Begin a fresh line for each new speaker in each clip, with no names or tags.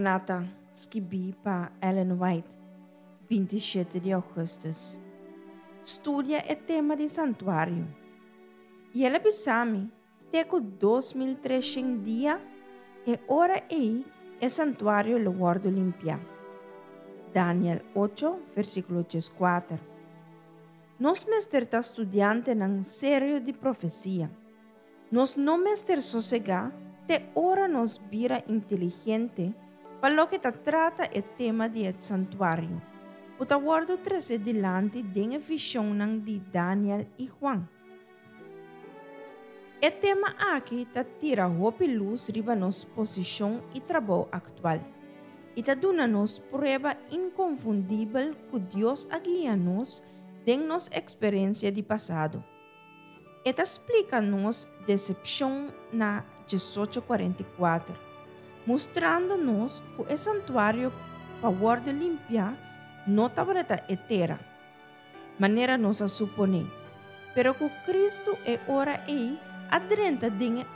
Maranata, skibí pa Ellen White, 27 di ougùstùs. Studia e tema di santuario. I el a bisa mi, Te ku 2300 dia, e ora ei e santuario lo wòrdu limpiá. Daniel 8, versíkulo 14. Nos mester ta studiantenan serio di profesia. Nos no mester sosegá te ora nos bira inteligente pa loke ta trata e tema di e santuario, ku ta wòrdu trese dilanti den e vishonnan di Daniel i Juan. E tema aki ta tira hopi lus riba nos posishon i trabou aktual, i ta duna nos prueba inkonfundibel ku Dios a guia nos den nos eksperensia di pasado. E ta splika nos desepshon na 1844, mustrando nos ku e santuario pa wòrdu limpiá no tabata e tera, manera nos a suponé, pero ku Kristu e ora ei a drenta den e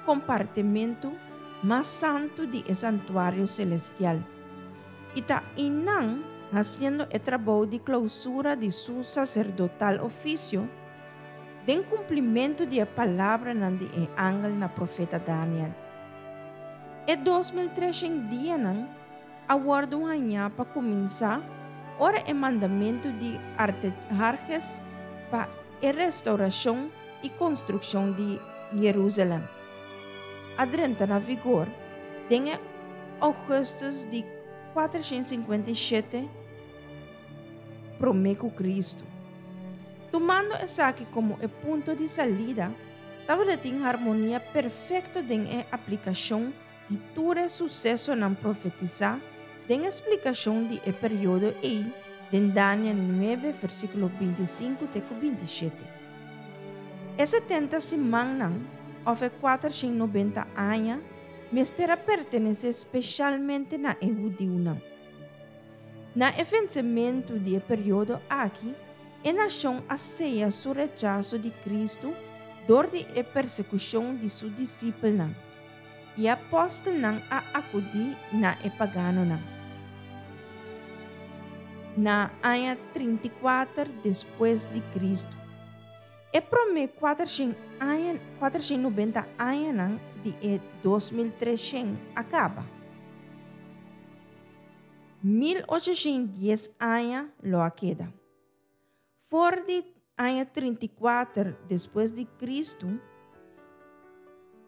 kompartimentu mas santu di e santuario selestial, i ta einan hasiendo e trabou di klousura di su saserdotal ofisio, den kumplimentu di e palabranan di e angel na profeta Daniel. E 2300 dianan a wòrdu hañá pa kuminsá ora e mandamentu di Artaherhes pa e restourashon i konstrukshon di Jerusalèm a drenta na vigor den e ougùstùs di 457 promé ku Kristu. Tumando esaki komo e punto di salida, tabata tin harmonia perfekto den e aplikashon di tur e susesonan profetisá den e splikashon di e periodo ei den Daniel 9 versíkulo 25 te ku 27. E 70 simannan òf e 490 aña mester a pertenesé speshalmente na e hudiunan. Na e vensementu di e periodo aki, e nashon a seya su rechaso di Kristu dor di e persekushon di su disipelnan, i e apòstelnan a akudí na e paganonan. Na aña 34 despues di Kristu, e promé 490 añanan di e 2300 a kaba. 1810 aña lo a keda. For di aña 34 despues di Kristu,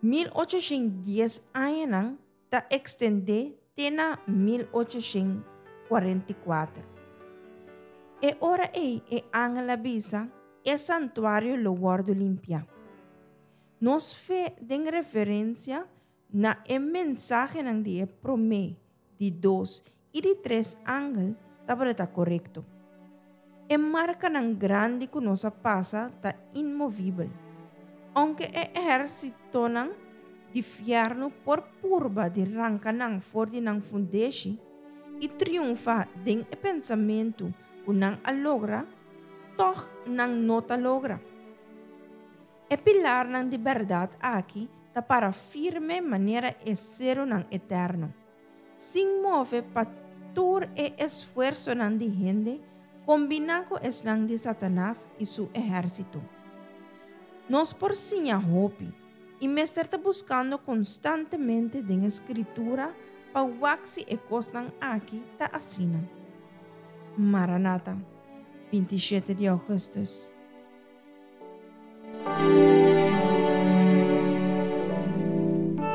1810 añanan ta ekstendé te na 1844. E ora ei e angel a bisa, E santuario lo wòrdu limpiá. Nos fe den referensia Na e mensahenan di e promé, di dos i di tres angel tabata korekto. E markanan grandi ku nos a pasa ta inmovibel. Ounke e ehérsitonan di fièrnu por purba di ranka nan for di nan fundeshi i triunfá den e pensamentu ku nan a logra, tòg nan no ta logra. E pilarnan di bèrdat aki ta para firme manera e serunan eterno, sin move pa tur e esfuersonan di hende kombiná ku esnan di Satanas i su ehérsito. Nos por siña hopi i mester ta buskando konstantemente den e Skritura pa wak si e kosnan aki ta asina. Maranata, 27 di ougùstùs.